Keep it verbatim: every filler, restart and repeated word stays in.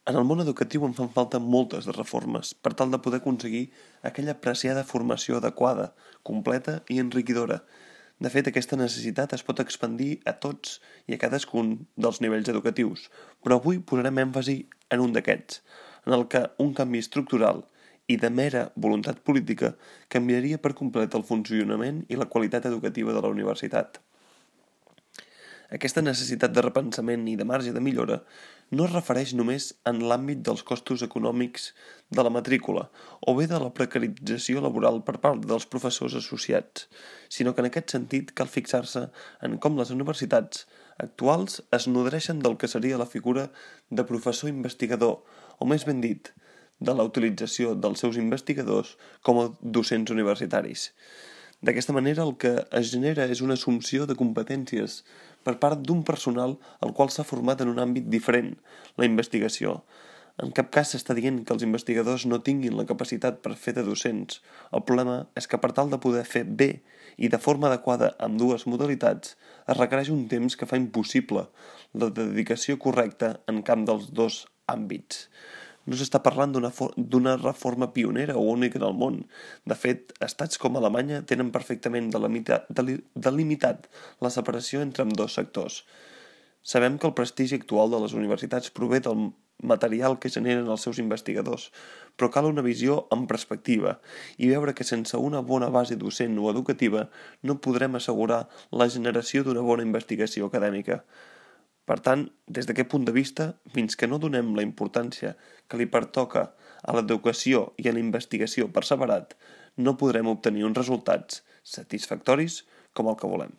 En el món educatiu en fan falta moltes de reformes per tal de poder aconseguir aquella preciada formació adequada, completa i enriquidora. De fet, aquesta necessitat es pot expandir a tots i a cadascun dels nivells educatius, però avui posarem èmfasi en un d'aquests, en el que un canvi estructural i de mera voluntat política canviaria per complet el funcionament i la qualitat educativa de la universitat. Aquesta necessitat de repensament i de marge de millora no es refereix només en l'àmbit dels costos econòmics de la matrícula o bé de la precarització laboral per part dels professors associats, sinó que en aquest sentit cal fixar-se en com les universitats actuals es nodreixen del que seria la figura de professor investigador, o més ben dit, de la utilització dels seus investigadors com a docents universitaris. D'aquesta manera el que es genera és una assumpció de competències per part d'un personal al qual s'ha format en un àmbit diferent, la investigació. En cap cas s'està dient que els investigadors no tinguin la capacitat per fer de docents. El problema és que per tal de poder fer bé i de forma adequada amb dues modalitats es requereix un temps que fa impossible la dedicació correcta en camp dels dos àmbits. No s'està parlant d'una reforma pionera o única en el món. De fet, estats com Alemanya tenen perfectament delimitat la separació entre ambdós sectors. Sabem que el prestigi actual de les universitats prové del material que generen els seus investigadors, però cal una visió en perspectiva i veure que sense una bona base docent o educativa no podrem assegurar la generació d'una bona investigació acadèmica. Per tant, des d'aquest punt de vista, fins que no donem la importància que li pertoca a l'educació i a la investigació per separat, no podrem obtenir uns resultats satisfactoris com el que volem.